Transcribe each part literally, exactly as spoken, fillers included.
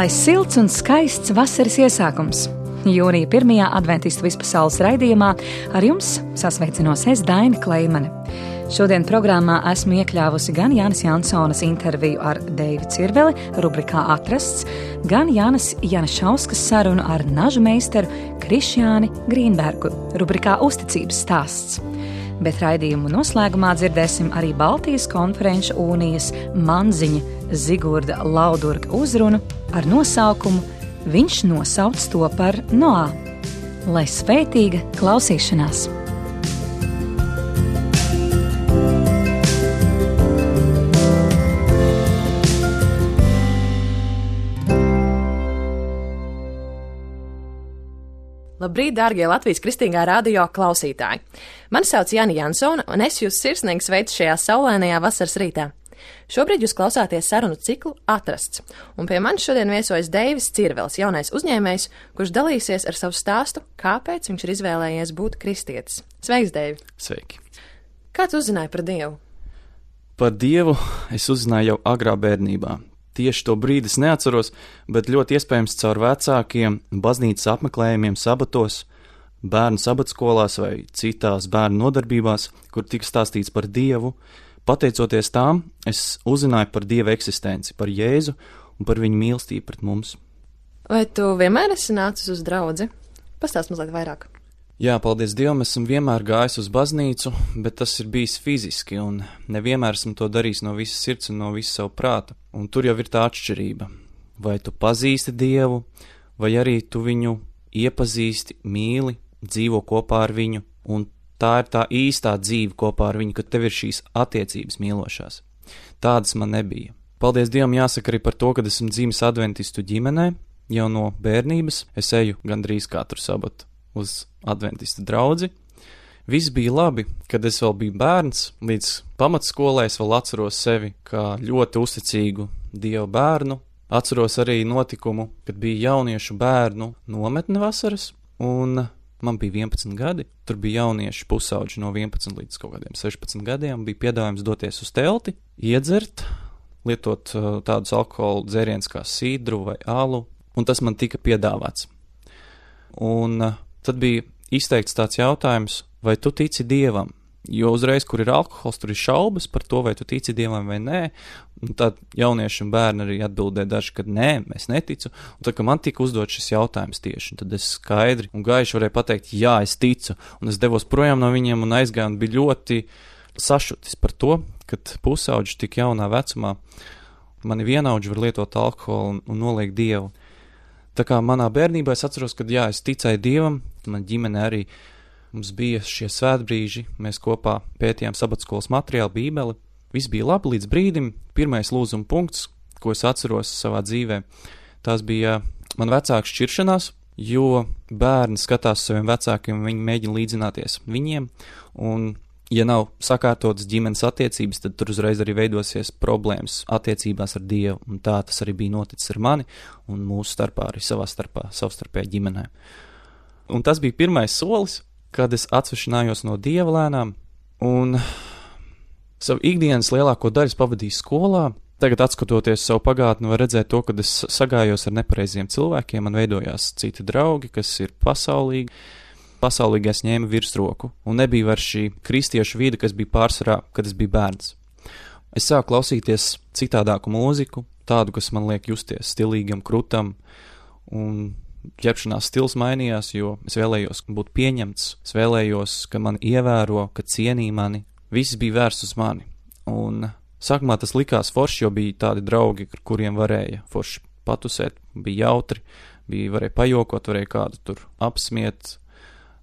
Lai silts un skaists vasaras iesākums. Jūnija pirmajā adventistu vispasaules raidījumā ar jums sasveicinos es, Daina Kleimane. Šodien programmā esmu iekļāvusi gan Jānis Jansonas interviju ar Deivi Cirveli, rubrikā Atrasts, gan Jānis Janašauskas sarunu ar nažu meistaru Krišjāni Grīnbergu, rubrikā Uzticības stāsts. Bet raidījumu noslēgumā dzirdēsim arī Baltijas konferenču unijas manziņa Zigurda Laudurga uzrunu ar nosaukumu Viņš nosauc to par Noā. Lai svētīga klausīšanās! Labrīt, dārgie Latvijas Kristīgā radio klausītāji! Mani sauc Jāni Jansona, un es jūs sirsnīgi sveicu šajā saulainajā vasaras rītā. Šobrīd jūs klausāties sarunu ciklu Atrasts, un pie manis šodien viesojas Deivis Cirvels, jaunais uzņēmējs, kurš dalīsies ar savu stāstu, kāpēc viņš ir izvēlējies būt kristietis. Sveiks, Deivi! Sveiki! Kā tu uzzināji par Dievu? Par Dievu es uzzināju jau agrā bērnībā. Tieši to brīdi es neatceros, bet ļoti iespējams caur vecākiem baznīcas apmeklējumiem sabatos, bērnu sabatskolās vai citās bērnu nodarbībās, kur tika stāstīts par Dievu. Pateicoties tām, es uzzināju par Dieva eksistenci, par Jēzu un par viņa mīlestību pret mums. Vai tu vienmēr esi nācis uz draudzi? Pastāst mazliet vairāk. Jā, paldies Dievam, esmu vienmēr gājis uz baznīcu, bet tas ir bijis fiziski, un nevienmēr esmu to darījis no visas sirds un no visa savu prāta. Un tur jau ir tā atšķirība. Vai tu pazīsti Dievu, vai arī tu viņu iepazīsti, mīli, dzīvo kopā ar viņu, un tā ir tā īstā dzīve kopā ar viņu, kad tev ir šīs attiecības mīlošās. Tādas man nebija. Paldies Dievam jāsaka arī par to, kad esmu dzimis adventistu ģimenē, jau no bērnības es eju gandrīz katru sabatu uz adventistu draudzi. Viss bija labi, kad es vēl biju bērns, līdz pamatskolē es vēl atceros sevi kā ļoti uzticīgu Dieva bērnu. Atceros arī notikumu, kad bija jauniešu bērnu nometne vasaras, un man bija vienpadsmit gadi, tur bija jaunieši pusauģi no vienpadsmit līdz kaut kādiem sešpadsmit gadiem, bija piedāvājums doties uz telti, iedzert, lietot uh, tādus alkohola dzērienus kā sidru vai alu, un tas man tika piedāvāts. Un uh, tad bija izteikts tāds jautājums, vai tu tici Dievam? Jo uzreiz, kur ir alkohols, tur ir šaubas par to, vai tu tici Dievam vai nē. Un tad jaunieši un bērni arī atbildēja daži, ka nē, mēs neticu. Un tad, kad man tika uzdot šis jautājums tieši, tad es skaidri un gaiši varēju pateikt, jā, es ticu. Un es devos projām no viņiem un aizgāju un biju ļoti sašutis par to, kad pusauģi tik jaunā vecumā mani vienaudži var lietot alkoholu un, un noliegt Dievu. Tā kā manā bērnībā es atceros, ka jā, es ticēju Dievam, man ģimene arī. Mums bija šie svētbrīži, mēs kopā pētījām sabatskolas materiālu, bībeli. Viss bija labi līdz brīdim. Pirmais lūzuma punkts, ko es atceros savā dzīvē, tās bija man vecāku šķiršanās, jo bērni skatās saviem vecākiem, viņi mēģina līdzināties viņiem, un ja nav sakārtotas ģimenes attiecības, tad tur uzreiz arī veidosies problēmas attiecībās ar Dievu, un tā tas arī bija noticis ar mani, un mūsu starpā arī savā starpā, savstarpējā ģimenē. Un tas bija pirmais solis, kad es atsvešinājos no Dieva lēnām, un savu ikdienas lielāko daļu pavadīju skolā. Tagad, atskatoties savu pagātni, var redzēt to, kad es sagājos ar nepareiziem cilvēkiem, man veidojās citi draugi, kas ir pasaulīgi. Pasaulīgi es ņēmu virsroku, un nebija var šī kristiešu vide, kas bija pārsvarā, kad es biju bērns. Es sāku klausīties citādāku mūziku, tādu, kas man liek justies stilīgam, krutam, un ķepšanās stils mainījās, jo es vēlējos būt pieņemts, es vēlējos, ka mani ievēro, ka cienī mani. Viss bija vērsts uz mani. Un sākumā tas likās forši, jo bija tādi draugi, ar kuriem varēja forši patusēt, bija jautri, bija varēja pajokot, varēja kādu tur apsmiet.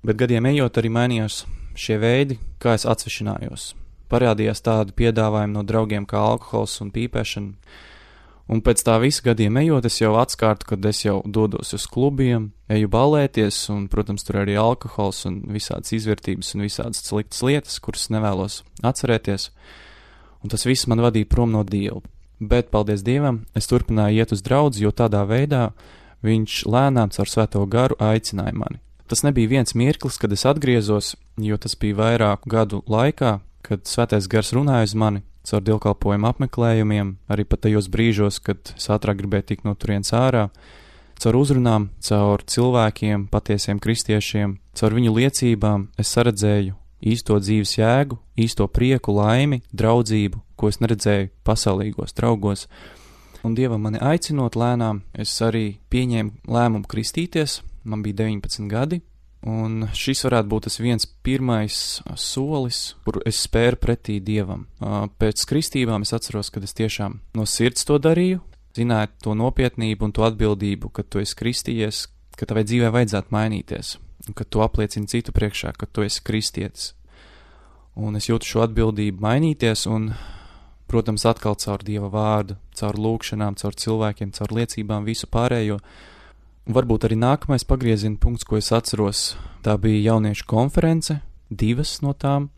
Bet gadiem ejot arī mainījās šie veidi, kā es atsvešinājos. Parādījās tādi piedāvājumi no draugiem kā alkohols un pīpēšana. Un pēc tā visa gadiem ejot, es jau atskārtu, kad es jau dodos uz klubiem, eju ballēties, un, protams, tur arī alkohols un visādas izvērtības un visādas sliktas lietas, kuras nevēlos atcerēties. Un tas viss man vadīja prom no Dieva. Bet, paldies Dievam, es turpināju iet uz draudzi, jo tādā veidā viņš lēnām caur Svēto garu aicināja mani. Tas nebija viens mirklis, kad es atgriezos, jo tas bija vairāku gadu laikā. kad Svētais Gars runāja uz mani caur dievkalpojumu apmeklējumiem, arī pat tajos brīžos, kad es ātrāk gribēju tikt no turienes ārā, caur uzrunām, caur cilvēkiem, patiesiem kristiešiem, caur viņu liecībām es saredzēju īsto dzīves jēgu, īsto prieku, laimi, draudzību, ko es neredzēju pasaulīgos draugos. Un Dievam mani aicinot lēnām, es arī pieņēmu lēmumu kristīties, man bija deviņpadsmit gadi, un šis varētu būt tas viens pirmais solis, kuru es spēru pretī Dievam. Pēc kristībām es atceros, kad es tiešām no sirds to darīju, zināju to nopietnību un to atbildību, ka tu esi kristījies, ka tavai dzīvē vajadzētu mainīties, un ka tu apliecini citu priekšā, ka tu esi kristietis. Un es jūtu šo atbildību mainīties, un, protams, atkal caur Dieva vārdu, caur lūkšanām, caur cilvēkiem, caur liecībām, visu pārējo. Un varbūt arī nākamais pagrieziena punkts, ko es atceros, tā bija jauniešu konference, divas no tām.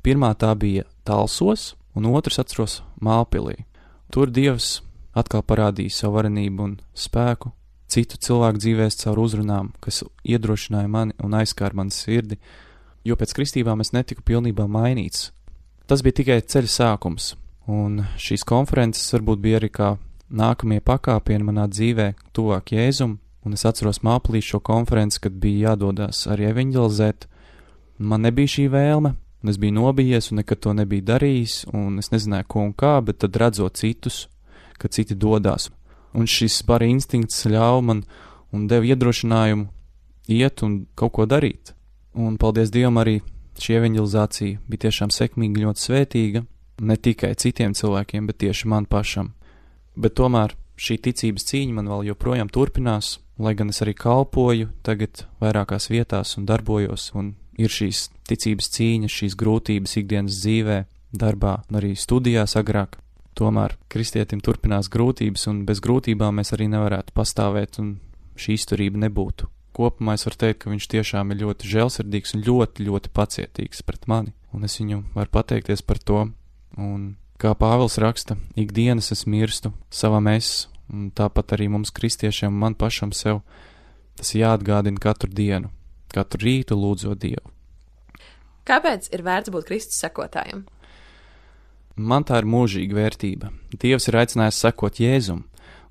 Pirmā tā bija Talsos, un otrs atceros Mālpilī. Tur Dievs atkal parādīja savu varenību un spēku citu cilvēku dzīvēs caur uzrunām, kas iedrošināja mani un aizskāra mani sirdi, jo pēc kristībām es netiku pilnībā mainīts. Tas bija tikai ceļa sākums, un šīs konferences varbūt bija arī kā nākamie pakāpieni manā dzīvē tuvāk Jēzum, un es atceros Mālpilī šo konferenci, kad bija jādodās arī evaņģelizēt. Man nebija šī vēlme, un es biju nobijies un nekad to nebiju darījis, un es nezināju, ko un kā, bet tad redzot citus, ka citi dodās. Un šis bara instinkts ļauj man un deva iedrošinājumu iet un kaut ko darīt. Un paldies Dievam arī šī evaņģelizācija bija tiešām sekmīga, ļoti svētīga, ne tikai citiem cilvēkiem, bet tieši man pašam. Bet tomēr šī ticības cīņa man vēl joprojām turpinās, lai gan es arī kalpoju tagad vairākās vietās un darbojos, un ir šīs ticības cīņas, šīs grūtības ikdienas dzīvē, darbā un arī studijās agrāk. Tomēr kristietim turpinās grūtības, un bez grūtībām mēs arī nevarētu pastāvēt, un šī izturība nebūtu. Kopumā es varu teikt, ka viņš tiešām ir ļoti žēlsirdīgs un ļoti, ļoti pacietīgs pret mani, un es viņu varu pateikties par to. Un kā Pāvils raksta, ikdienas es mirstu savam es, un tāpat arī mums kristiešiem, man pašam sev, tas jāatgādina katru dienu, katru rītu lūdzot Dievu. Kāpēc ir vērts būt Kristus sekotājam? Man tā ir mūžīga vērtība. Dievs ir aicinājis sekot Jēzum,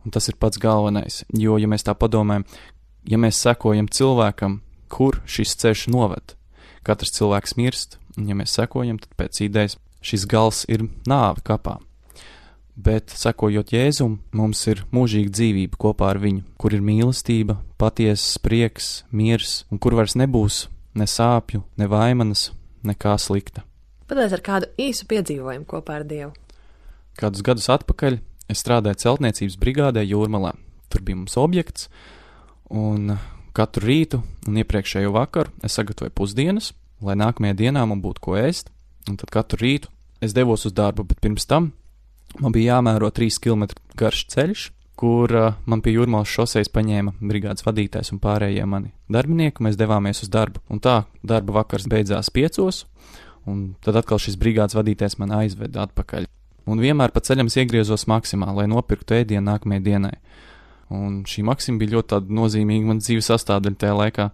un tas ir pats galvenais, jo, ja mēs tā padomājam, ja mēs sekojam cilvēkam, kur šis ceļš noved, katrs cilvēks mirst, un ja mēs sekojam, tad pēc idejas šis gals ir nāve kapā. Bet, sekojot Jēzum, mums ir mūžīga dzīvība kopā ar viņu, kur ir mīlestība, patiesas prieks, miers, un kur vairs nebūs ne sāpju, ne vaimanas, nekā slikta. Padalies ar kādu īsu piedzīvojumu kopā ar Dievu. Kādus gadus atpakaļ es strādāju celtniecības brigādē Jūrmalā. Tur bija mums objekts, un katru rītu un iepriekšējo vakaru es sagatavoju pusdienas, lai nākamajā dienā man būtu ko ēst, un tad katru rītu es devos uz darbu, bet pirms tam man bija jāmēro trīs kilometru garš ceļš, kur uh, man pie Jūrmalas šosejas paņēma brigādes vadītājs un pārējie mani darbinieki, mēs devāmies uz darbu. Un tā darba vakars beidzās piecos, un tad atkal šis brigādes vadītājs man aizveda atpakaļ. Un vienmēr pa ceļam es iegriezos Maksimā, lai nopirktu ēdienu nākamajai dienai. Un šī Maksima bija ļoti tāda nozīmīga man dzīves sastāvdaļa tajā laikā.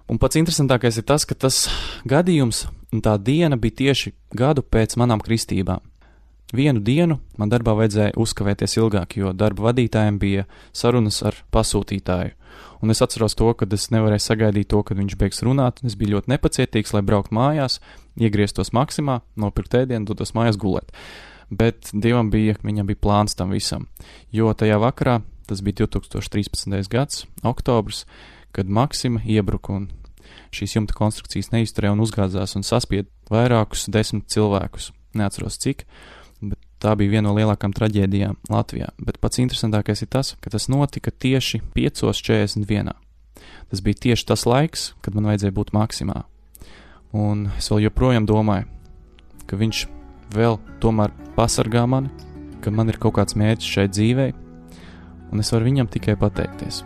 Un pats interesantākais ir tas, ka tas gadījums un tā diena bija tieši gadu pēc manām kristībām. Vienu dienu man darbā vajadzēja uzkavēties ilgāk, jo darba vadītājiem bija sarunas ar pasūtītāju. Un es atceros to, kad es nevarēju sagaidīt to, kad viņš beigs runāt, un es biju ļoti nepacietīgs, lai braukt mājās, iegrieztos Maksimā, nopirkt ēdienu, dotos mājās gulēt. Bet Dievam bija, viņam bija plāns tam visam, jo tajā vakarā, tas bija divi tūkstoši trīspadsmitais gads, oktobrs, kad Maksima iebruka un šīs jumta konstrukcijas neizturēja un uzgāzās un saspied vairākus desmit cilvēkus. Neatceros cik, bet tā bija viena no lielākām traģēdijām Latvijā. Bet pats interesantākais ir tas, ka tas notika tieši piecos četrdesmit vienā. Tas bija tieši tas laiks, kad man vajadzēja būt Maksimā. Un es vēl joprojām domāju, ka viņš vēl tomēr pasargā mani, ka man ir kaut kāds mērķis šai dzīvei, un es varu viņam tikai pateikties.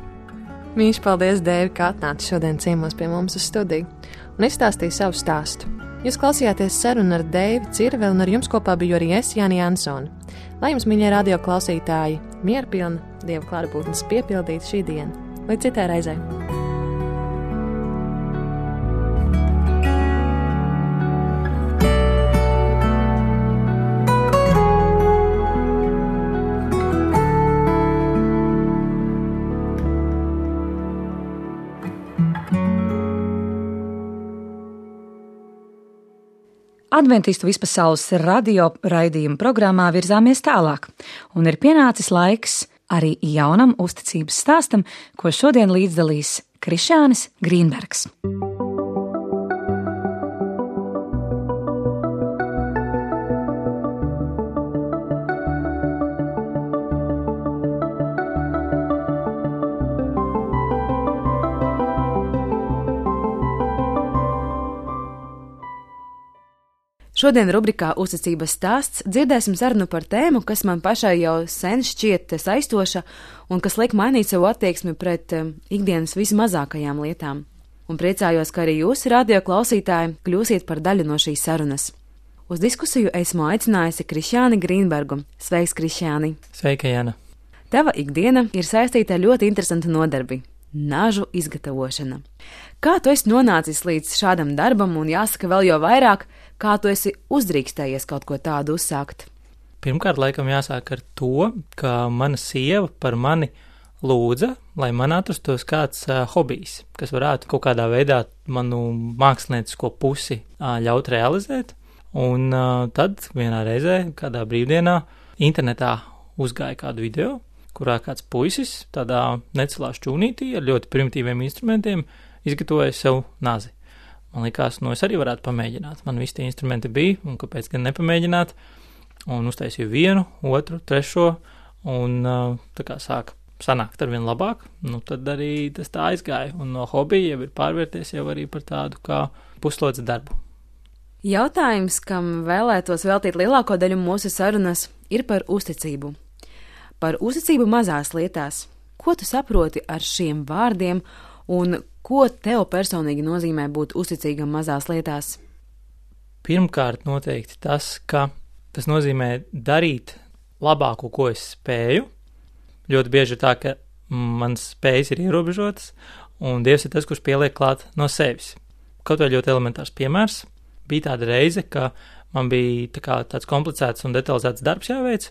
Mīļš, paldies, Dēvi, ka atnāci šodien ciemos pie mums uz studiju un izstāstīji savu stāstu. Jūs klausījāties sarunu ar Dēvi Cirveli, un ar jums kopā biju arī es, Jāni Jansone. Lai jums, mīļie radio klausītāji, mierpilna Dieva klātbūtnes piepildīta šī diena. Līdz citai reizei! Adventistu vispasaules radio raidījuma programmā virzāmies tālāk, un ir pienācis laiks arī jaunam uzticības stāstam, ko šodien līdzdalīs Krišjānis Grīnbergs. Šodien rubrikā Uzticības stāsts dzirdēsim sarunu par tēmu, kas man pašai jau sen šķiet saistoša un kas liek mainīt savu attieksmi pret um, ikdienas vismazākajām lietām. Un priecājos, ka arī jūs, radio klausītāji, kļūsiet par daļu no šīs sarunas. Uz diskusiju esmu aicinājusi Krišjāni Grīnbergu. Sveiks, Krišjāni! Sveika, Jana! Tava ikdiena ir saistīta ar ļoti interesantu nodarbi – nažu izgatavošana. Kā tu esi nonācis līdz šādam darbam un jāsaka vēl jau vairāk, kā tu esi uzdrīkstējies kaut ko tādu uzsākt? Pirmkārt, laikam jāsāk ar to, ka mana sieva par mani lūdza, lai man atrastos kāds uh, hobijs, kas varētu kaut kādā veidā manu māksliniecisko pusi uh, ļaut realizēt. Un uh, tad vienā reizē, kādā brīvdienā, internetā uzgāja kādu video, kurā kāds puisis tādā necelā šķūnītī ar ļoti primitīviem instrumentiem izgatavoja sev nazi. Man likās, nu es arī varētu pamēģināt. Man visi tie instrumenti bija, un kāpēc gan nepamēģināt? Un uztaisīju vienu, otru, trešo, un tā kā sāka sanākt ar vien labāk, nu tad arī tas tā aizgāja. Un no hobija jau ir pārvērties jau arī par tādu kā puslodes darbu. Jautājums, kam vēlētos veltīt lielāko daļu mūsu sarunas, ir par uzticību. Par uzticību mazās lietās. Ko tu saproti ar šiem vārdiem un ko tev personīgi nozīmē būt uzticīgam mazās lietās? Pirmkārt, noteikti tas, ka tas nozīmē darīt labāko, ko es spēju. Ļoti bieži ir tā, ka manas spējas ir ierobežotas, un Dievs ir tas, kurš pieliek klāt no sevis. Kaut vai ļoti elementārs piemērs. Bija tāda reize, ka man bija tā kā tāds komplicēts un detalizēts darbs jāveic,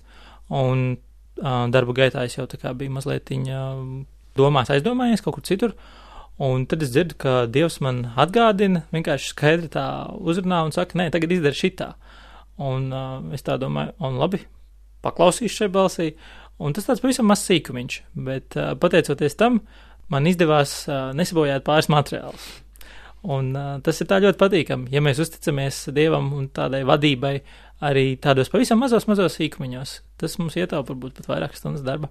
un uh, darba gaitā es jau tā kā biju mazliet uh, domās aizdomājies kaut kur citur. Un tad es dzirdu, ka Dievs man atgādina, vienkārši skaidri tā uzrunā un saka, nē, tagad izdara šitā. Un uh, es tā domāju, un labi, paklausīšu šai balsī. Un tas tāds pavisam mazs sīkumiņš, bet uh, pateicoties tam, man izdevās uh, nesabojāt pāris materiālus. Un uh, tas ir tā ļoti patīkami, ja mēs uzticamies Dievam un tādai vadībai arī tādos pavisam mazos, mazos sīkumiņos. Tas mums ietaupa varbūt pat vairākas stundas darba.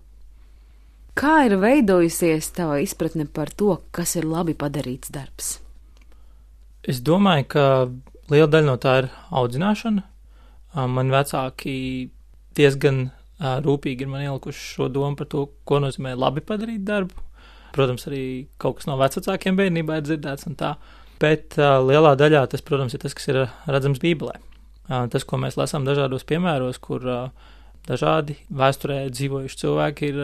Kā ir veidojusies tava izpratne par to, kas ir labi padarīts darbs? Es domāju, ka liela daļa no tā ir audzināšana. Man vecāki diezgan rūpīgi ir man ielikuši šo domu par to, ko nozīmē labi padarīt darbu. Protams, arī kaut kas no vecākiem bērnībā ir dzirdēts un tā, bet lielā daļā tas, protams, ir tas, kas ir redzams Bībelē. Tas, ko mēs lasām dažādos piemēros, kur dažādi vēsturē dzīvojuši cilvēki ir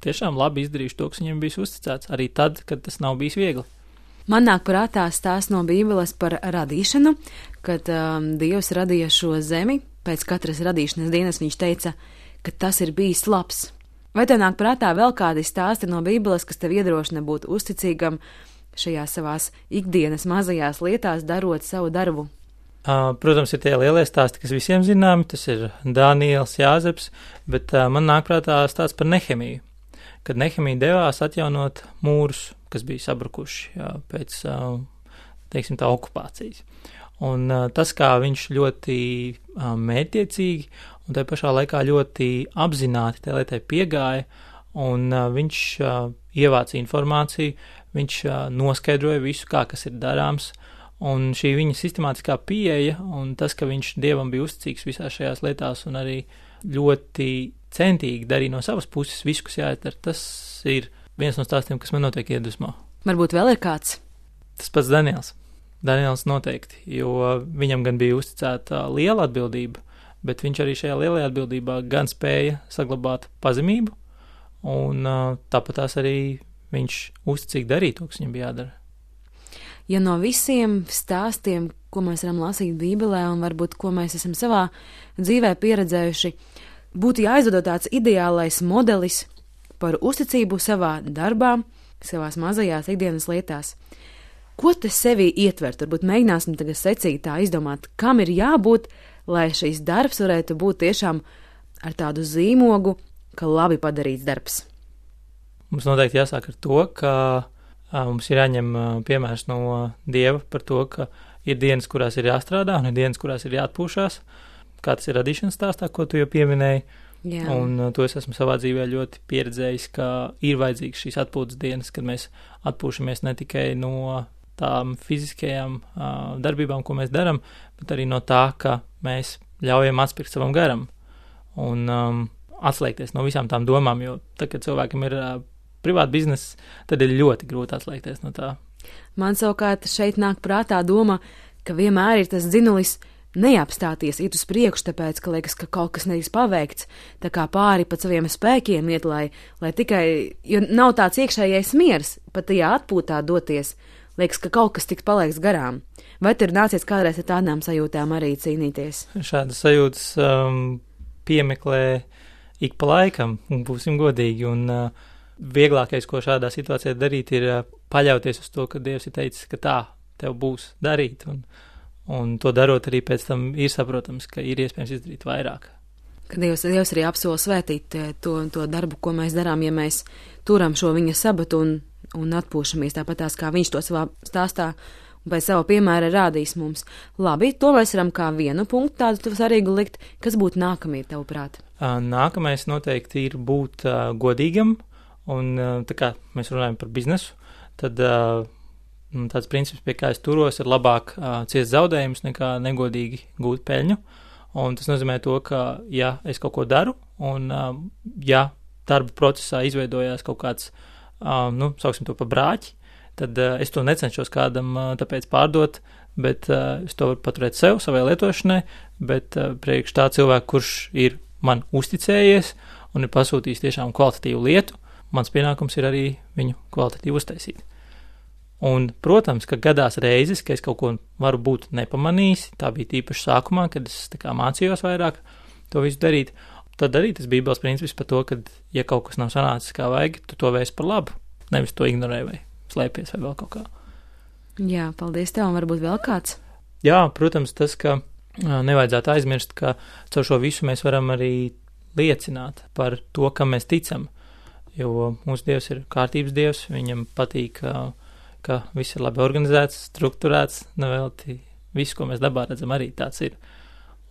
tiešām labi izdarījuši to, kas viņiem bijis uzticēts, arī tad, kad tas nav bijis viegli. Man nāk prātā stāsts no Bībeles par radīšanu, kad um, Dievs radīja šo zemi, pēc katras radīšanas dienas viņš teica, ka tas ir bijis labs. Vai tev nāk prātā vēl kādi stāsti no Bībeles, kas tev iedrošina būt uzticīgam šajās savās ikdienas mazajās lietās, darot savu darbu? Uh, protams, ir tie lielie stāsti, kas visiem zināmi, tas ir Daniels, Jāzeps, bet uh, man nāk prātā stāsts par Nehemiju, kad Nehemija devās atjaunot mūrus, kas bija sabrukuši jā, pēc, uh, teiksim tā, okupācijas. Un uh, tas, kā viņš ļoti uh, mērķiecīgi un tajā pašā laikā ļoti apzināti tai lietai piegāja, un uh, viņš uh, ievāca informāciju, viņš uh, noskaidroja visu, kā kas ir darāms. Un šī viņa sistemātiskā pieeja un tas, ka viņš Dievam bija uzticīgs visās šajās lietās un arī ļoti centīgi darīja no savas puses visu, kas jāizdara, tas ir viens no stāstiem, kas man noteikti iedvesmo. Varbūt vēl ir kāds? Tas pats Daniels. Daniels noteikti, jo viņam gan bija uzticēta liela atbildība, bet viņš arī šajā lielajā atbildībā gan spēja saglabāt pazemību, un tāpat tās arī viņš uzticīgi darīja to, kas viņam bija jādara. Ja no visiem stāstiem, ko mēs varam lasīt Bībelē un varbūt, ko mēs esam savā dzīvē pieredzējuši, būtu jāizveido tāds ideālais modelis par uzticību savā darbā, savās mazajās ikdienas lietās, Ko tas sevī ietver? Turbūt mēģināsim tagad secīgi tā izdomāt, kam ir jābūt, lai šīs darbs varētu būt tiešām ar tādu zīmogu, ka labi padarīts darbs. Mums noteikti jāsāk ar to, ka a, mums ir jāņem a, piemērs no Dieva par to, ka ir dienas, kurās ir jāstrādā, un ir dienas, kurās ir jāatpūšās, kā tas ir radīšanas stāstā, ko tu jau pieminēji. Jā. Un uh, to es esmu savā dzīvē ļoti pieredzējis, ka ir vajadzīgs šīs atpūtas dienas, kad mēs atpūšamies ne tikai no tām fiziskajām uh, darbībām, ko mēs daram, bet arī no tā, ka mēs ļaujam atspirkt savam garam un um, atslēgties no visām tām domām, jo tad, kad cilvēkam ir uh, privāta biznesa, tad ir ļoti grūti atslēgties no tā. Man savukārt šeit nāk prātā doma, ka vienmēr ir tas dzinulis neapstāties, iet uz priekšu, tāpēc, ka liekas, ka kaut kas netiks paveikts, tā kā pāri pat saviem spēkiem iet, lai, lai tikai, jo nav tāds iekšējais miers, pat tajā atpūtā doties, liekas, ka kaut kas tiks palieks garām. Vai tur nācies kādreiz ar tādām sajūtām arī cīnīties? Šādas sajūtas um, piemeklē ik pa laikam, un būsim godīgi, un uh, vieglākais, ko šādā situācijā darīt, ir uh, paļauties uz to, ka Dievs ir teicis, ka tā tev būs darīt, un Un to darot arī pēc tam ir saprotams, ka ir iespējams izdarīt vairāk. Ka Dievs, Dievs arī apsola svētīt to, to darbu, ko mēs darām, ja mēs turam šo viņa sabatu un, un atpūšamies tāpat tās, kā viņš to savā stāstā un pēc sava piemēra rādīs mums. Labi, to mēs varam kā vienu punktu tādu svarīgu likt. Kas būtu nākamie, tavuprāt? Nākamais noteikti ir būt uh, godīgam, un uh, tā kā mēs runājam par biznesu, tad uh, tāds princips, pie kā es turos, ir labāk uh, ciest zaudējumus nekā negodīgi gūt peļņu. Un tas nozīmē to, ka, ja es kaut ko daru, un uh, ja darba procesā izveidojās kaut kāds, uh, nu, sauksim to pa brāķi, tad uh, es to necenšos kādam uh, tāpēc pārdot, bet uh, es to varu paturēt sev, savai lietošanai, bet uh, priekš tā cilvēku, kurš ir man uzticējies un ir pasūtījis tiešām kvalitatīvu lietu, mans pienākums ir arī viņu kvalitatīvi uztaisīt. Un, protams, ka gadās reizes, ka es kaut ko varu būt nepamanījis, tā bija tīpaši sākumā, kad es tā kā mācījos vairāk to visu darīt, tad arī tas bībeles princips par to, ka, ja kaut kas nav sanācis kā vajag, tu to vērsi par labu, nevis to ignorē vai slēpies vai vēl kaut kā. Jā, paldies tev, un varbūt vēl kāds? Jā, protams, tas, ka nevajadzētu aizmirst, ka caur šo visu mēs varam arī liecināt par to, kam mēs ticam, jo mūsu Dievs ir kārtības Dievs, viņam patīk, ka ka viss ir labi organizēts, strukturēts, nevelti viss, ko mēs dabā redzam, arī tāds ir.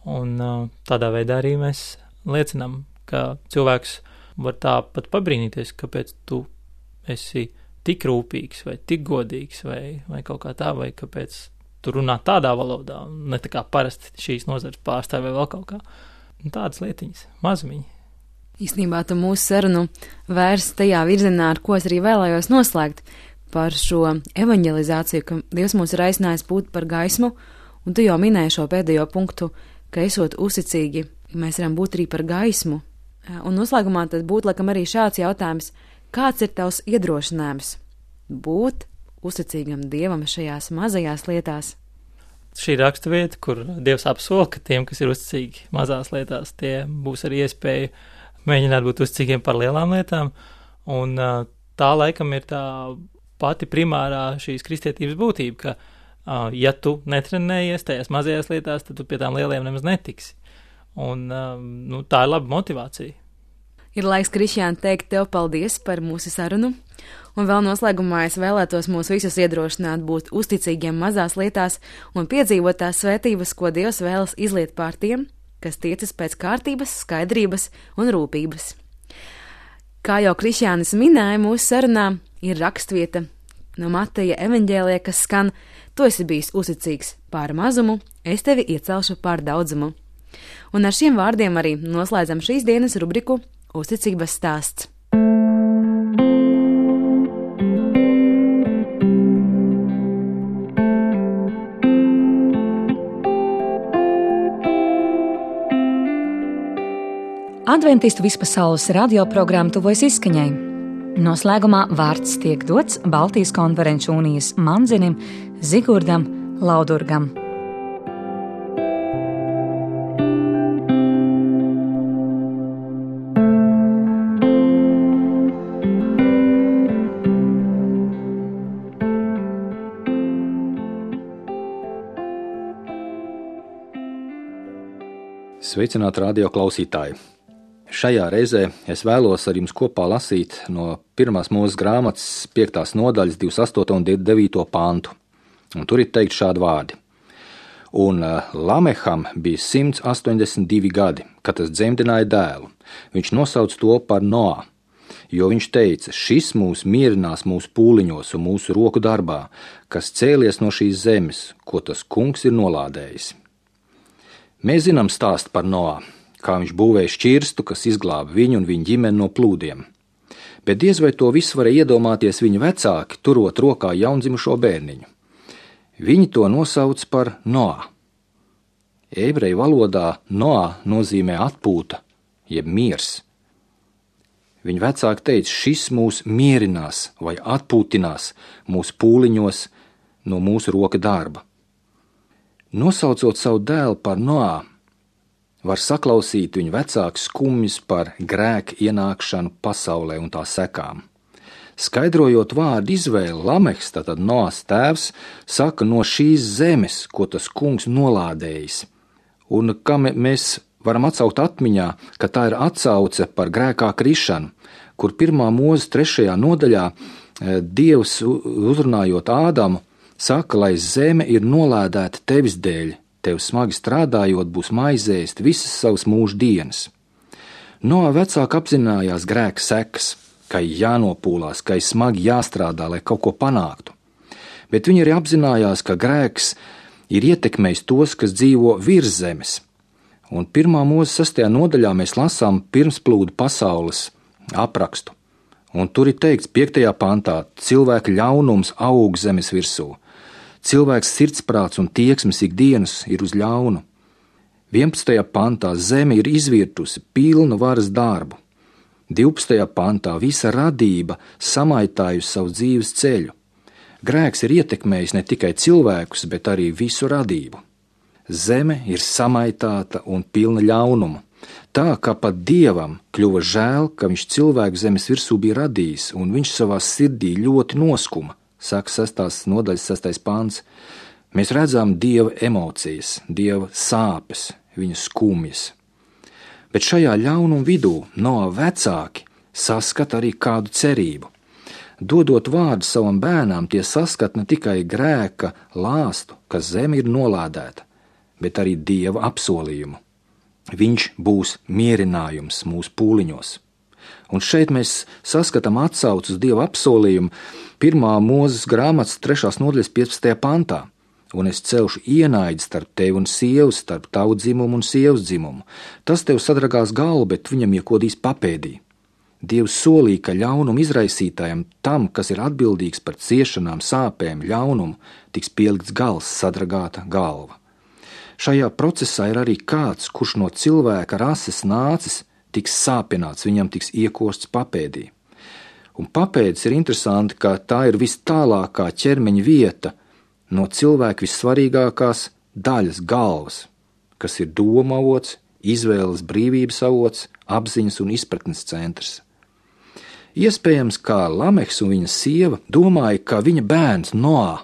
Un uh, tādā veidā arī mēs liecinām, ka cilvēks var tā pat pabrīnīties, kāpēc tu esi tik rūpīgs vai tik godīgs vai, vai kaut kā tā, vai kāpēc tu runā tādā valodā, ne tā kā parasti šīs nozares pārstāv vai vēl kaut kā. Un tādas lietiņas, mazumiņi. Īstenībā tu mūsu sarunu vērsi tajā virzienā, ar ko es arī vēlējos noslēgt, par šo evanģelizāciju, ka Dievs mūs ir aicinājis būt par gaismu, un tu jau minēji šo pēdējo punktu, ka esot uzticīgi, mēs varam būt arī par gaismu. Un noslēgumā tad būtu laikam arī šāds jautājums, kāds ir tavs iedrošinājums būt uzticīgam Dievam šajās mazajās lietās? Šī raksturvieta, kur Dievs apsola, ka tiem, kas ir uzticīgi mazās lietās, tie būs arī iespēja mēģināt būt uzticīgiem par lielām lietām, un tā laikam ir tā pati primārā šīs kristietības būtība, ka, uh, ja tu netrenējies tajās mazajās lietās, tad tu pie tām lielajām nemaz netiksi. Un uh, nu, tā ir laba motivācija. Ir laiks, Krišjān, teikt tev paldies par mūsu sarunu, un vēl noslēgumā es vēlētos mūs visus iedrošināt būt uzticīgiem mazās lietās un piedzīvot tās svētības, ko Dievs vēlas izliet pār tiem, kas tiecas pēc kārtības, skaidrības un rūpības. Kā jau Krišjānis minēja mūsu sarunā, ir rakstvieta no Mateja evaņģēlijā, kas skan: Tu esi bijis uzticīgs pār mazumu, es tevi iecelšu pār daudzumu. Un ar šiem vārdiem arī noslēdzam šīs dienas rubriku Uzticības stāsts. Adventistu vispasaules radioprogramma tuvojas izskaņai. Noslēgumā vārds tiek dots Baltijas konferenču unijas mandzinim Zigurdam Laudurgam. Sveicināti radio klausītāji! Šajā reizē es vēlos ar jums kopā lasīt no pirmās Mūzes grāmatas piektās nodaļas divdesmit astoto un devīto pantu. Un tur ir teikt šādi vārdi. Un Lameham bija simts astoņdesmit divi gadi, kad tas dzemdināja dēlu. Viņš nosauca to par Noā, jo viņš teica, šis mūs mierinās mūsu pūliņos un mūsu roku darbā, kas cēlies no šīs zemes, ko tas kungs ir nolādējis. Mēs zinām stāstu par Noā, kā viņš būvēja šķirstu, kas izglāba viņu un viņa ģimeni no plūdiem. Bet diez vai to visu varēja iedomāties viņa vecāki, turot rokā jaundzimušo bērniņu. Viņi to nosauc par Noā. Ebreju valodā Noā nozīmē atpūta, jeb miers. Viņa vecāki teica, šis mūs mierinās vai atpūtinās mūsu pūliņos no mūsu roka darba. Nosaucot savu dēlu par Noā, var saklausīt viņa vecāku skumjas par grēku ienākšanu pasaulē un tā sekām. Skaidrojot vārdu izvēli, Lamehs, tātad Noās tēvs, saka no šīs zemes, ko tas kungs nolādējis. Un kā mēs varam atsaukt atmiņā, ka tā ir atsauce par grēkā krišanu, kur pirmā Mūzes trešajā nodaļā Dievs uzrunājot Ādamu, saka, lai zeme ir nolādēta tevis dēļ, tev smagi strādājot būs maizēst visas savas mūža dienas. Noā vecāki apzinājās grēka sekas, ka jānopūlās, ka smagi jāstrādā, lai kaut ko panāktu. Bet viņi arī apzinājās, ka grēks ir ietekmējis tos, kas dzīvo virs zemes. Un pirmā Mūzes sastajā nodaļā mēs lasām pirmsplūdu pasaules aprakstu. Un tur ir teikts piektajā pantā, cilvēka ļaunums aug zemes virsū. Cilvēks sirdsprāts un tieksmes ikdienas ir uz ļaunu. vienpadsmitajā pantā zeme ir izvirtusi pilnu varas darbu. divpadsmitajā pantā visa radība samaitājusi savu dzīves ceļu. Grēks ir ietekmējis ne tikai cilvēkus, bet arī visu radību. Zeme ir samaitāta un pilna ļaunuma. Tā, ka pat Dievam kļuva žēl, ka viņš cilvēku zemes virsū bija radījis, un viņš savā sirdī ļoti noskuma. Saka sestās nodaļas sestais pants, mēs redzam Dieva emocijas, Dieva sāpes, viņa skumjas. Bet šajā ļaunuma vidū Noā vecāki saskata arī kādu cerību. Dodot vārdu savam bērnām, tie saskat ne tikai grēka lāstu, ka zeme ir nolādēta, bet arī Dieva apsolījumu. Viņš būs mierinājums mūsu pūliņos. Un šeit mēs saskatām atsauci uz Dieva apsolījumu pirmā Mūzes grāmatas trešās nodaļas piecpadsmitajā pantā. Un es celšu ienaidi starp tevi un sievu, starp tavu dzimumu un sievas dzimumu. Tas tev sadragās galvu, bet viņam iekodīs papēdī. Dievs solīja, ka ļaunuma izraisītājam, tam, kas ir atbildīgs par ciešanām, sāpēm, ļaunumu, tiks pielikts gals, sadragāta galva. Šajā procesā ir arī kāds, kurš no cilvēka rases nācis, tiks sāpināts, viņam tiks iekosts papēdī. Un papēdis ir interesanti, ka tā ir vis tālākā ķermeņa vieta no cilvēka vissvarīgākās daļas galvas, kas ir doma avots, izvēles brīvības avots, apziņas un izpratnes centrs. Iespējams, kā Lamehs un viņa sieva domāja, ka viņa bērns Noā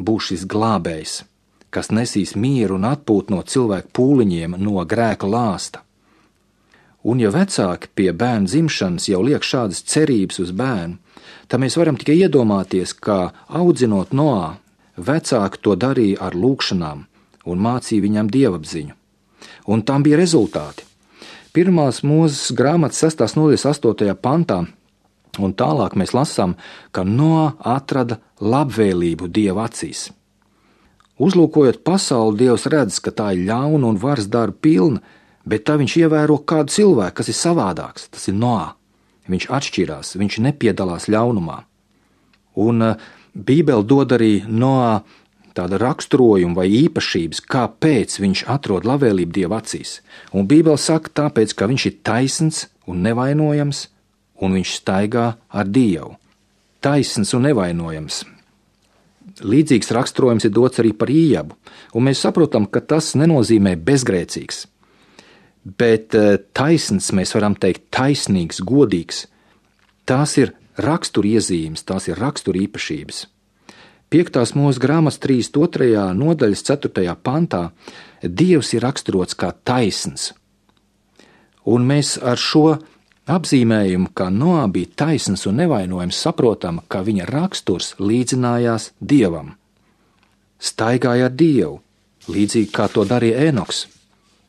būs šis glābējs, kas nesīs mieru un atpūtu no cilvēku pūliņiem, no grēka lāsta. Un ja vecāki pie bērna dzimšanas jau liek šādas cerības uz bērnu, tad mēs varam tikai iedomāties, kā audzinot Noā, vecāki to darīja ar lūkšanām un mācīja viņam dievapziņu. Un tam bija rezultāti. Pirmās Mūzes grāmatas sestās nodaļas astotajā pantā, un tālāk mēs lasām, ka Noā atrada labvēlību Dieva acīs. Uzlūkojot pasauli, Dievs redz, ka tā ir ļauna un varas darba pilna, bet tā viņš ievēro kādu cilvēku, kas ir savādāks, tas ir Noā. Viņš atšķirās, viņš nepiedalās ļaunumā. Un uh, Bībele dod arī Noā tāda raksturojuma vai īpašības, kāpēc viņš atrod labvēlību Dieva acīs. Un Bībele saka tāpēc, ka viņš ir taisns un nevainojams, un viņš staigā ar Dievu. Taisns un nevainojams. Līdzīgs raksturojums ir dots arī par Ījabu, un mēs saprotam, ka tas nenozīmē bezgrēcīgs. Bet taisns, mēs varam teikt, taisnīgs, godīgs. Tās ir raksturiezīmes, tās ir raksturīpašības. Piektās Mūzes grāmatas trīsdesmit otrajā nodaļas ceturtajā pantā Dievs ir raksturots kā taisns Un mēs ar šo apzīmējumu, ka Noā bija taisns un nevainojams, saprotam, ka viņa raksturs līdzinājās Dievam. Staigāja ar Dievu, līdzīgi kā to darīja Ēnoks.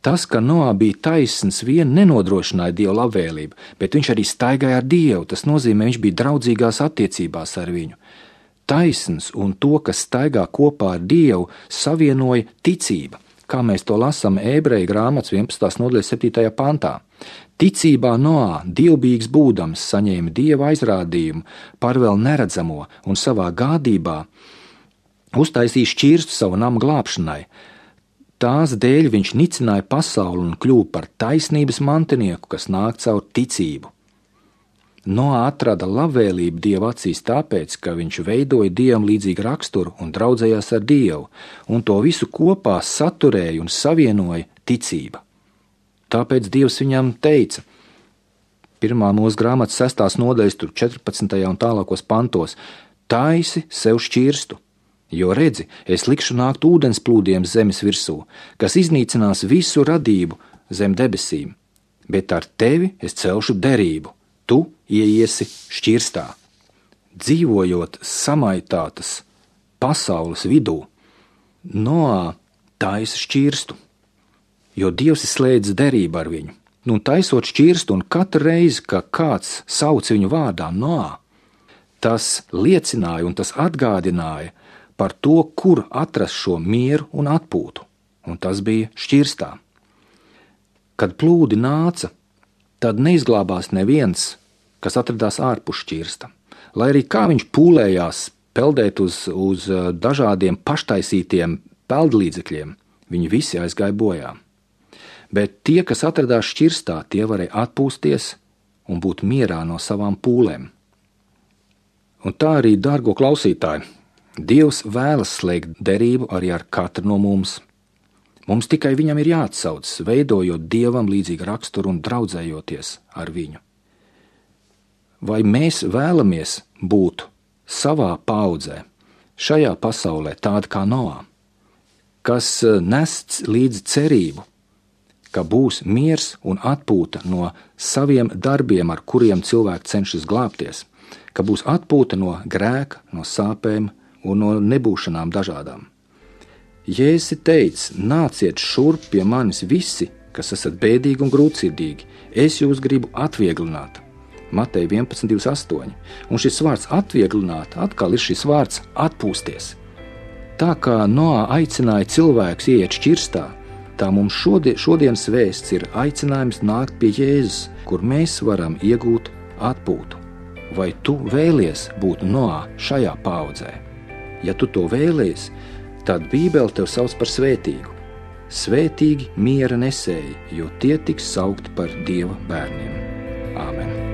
Tas, ka Noā bija taisns, vien nenodrošināja Dieva labvēlību, bet viņš arī staigāja ar Dievu. Tas nozīmē, viņš bija draudzīgās attiecībās ar viņu. Taisns un to, kas staigā kopā ar Dievu, savienoja ticība, kā mēs to lasām Ebreju grāmatas vienpadsmitās nodaļas septītajā pantā. Ticībā Noā, dievbijīgs būdams, saņēma Dieva aizrādījumu par vēl neredzamo un savā gādībā uztaisīja šķirstu savu namu glābšanai. Tās dēļ viņš nicināja pasauli un kļuva par taisnības mantinieku, kas nāk caur ticību. Noā atrada labvēlību Dieva acīs tāpēc, ka viņš veidoja Dievam līdzīgu raksturu un draudzējās ar Dievu, un to visu kopā saturēja un savienoja ticība. Tāpēc Dievs viņam teica, pirmā mūsu grāmatas sestās nodaļas, tur četrpadsmitajā un tālākos pantos, taisi sev šķirstu. Jo redzi, es likšu nākt ūdens plūdiem zemes virsū, kas iznīcinās visu radību zem debesīm, bet ar tevi es celšu derību, tu ieiesi šķirstā. Dzīvojot samaitātas pasaules vidū, Noā taisa šķirstu, jo Dievs ir slēdzis derību ar viņu. Un taisot šķirstu, un katru reizi, ka kāds sauc viņu vārdā Noā, tas liecināja un tas atgādināja par to, kur atrast šo mieru un atpūtu, un tas bija šķirstā. Kad plūdi nāca, tad neizglābās neviens, kas atradās ārpus šķirsta. Lai arī kā viņš pūlējās peldēt uz, uz dažādiem paštaisītiem peldlīdzekļiem, viņi visi aizgāja bojā. Bet tie, kas atradās šķirstā, tie varēja atpūsties un būt mierā no savām pūlēm. Un tā arī, dārgo klausītāji, Dievs vēlas slēgt derību arī ar katru no mums. Mums tikai viņam ir jāatsaucas, veidojot Dievam līdzīgu raksturu un draudzējoties ar viņu. Vai mēs vēlamies būt savā paudzē, šajā pasaulē tāda kā Noā, kas nes līdzi cerību, ka būs miers un atpūta no saviem darbiem, ar kuriem cilvēki cenšas glābties, ka būs atpūta no grēka, no sāpēm un no nebūšanām dažādām. Jēzus teica, nāciet šurp pie manis visi, kas esat bēdīgi un grūtsirdīgi, es jūs gribu atvieglināt. Mateja vienpadsmit divdesmit astoņi. Un šis vārds atvieglināt atkal ir šis vārds atpūsties. Tā kā Noā aicināja cilvēkus ieiet šķirstā, tā mums šodien, šodienas vēsts ir aicinājums nākt pie Jēzus, kur mēs varam iegūt atpūtu. Vai tu vēlies būt Noā šajā paudzē? Ja tu to vēlies, tad Bībele tev sauc par svētīgu. Svētīgi miera nesēji, jo tie tiks saukti par Dieva bērniem. Āmen.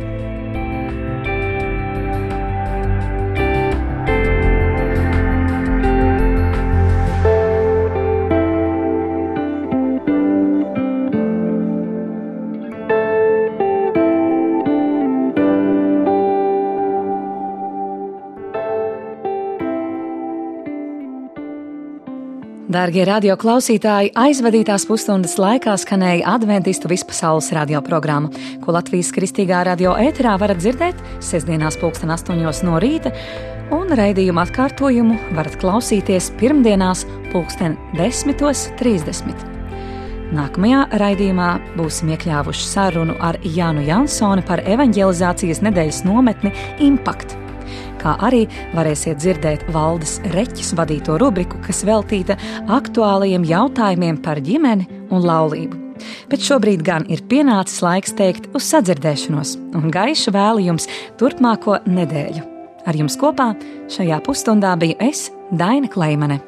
Dārgie radio klausītāji, aizvadītās pusstundas laikā skanēja Adventistu vispasaules radio programma, ko Latvijas kristīgā radio ēterā varat dzirdēt sestdienās pulksten astoņos no rīta, un raidījuma atkārtojumu varat klausīties pirmdienās pulksten desmitos trīsdesmit. Nākamajā raidījumā būsim iekļāvuši sarunu ar Jānu Jansoni par evanģelizācijas nedēļas nometni Impact. Kā arī varēsiet dzirdēt Valdes Reķis vadīto rubriku, kas veltīta aktuālajiem jautājumiem par ģimeni un laulību. Bet šobrīd gan ir pienācis laiks teikt uz sadzirdēšanos un gaišu vēlu jums turpmāko nedēļu. Ar jums kopā šajā pusstundā biju es, Daina Kleimane.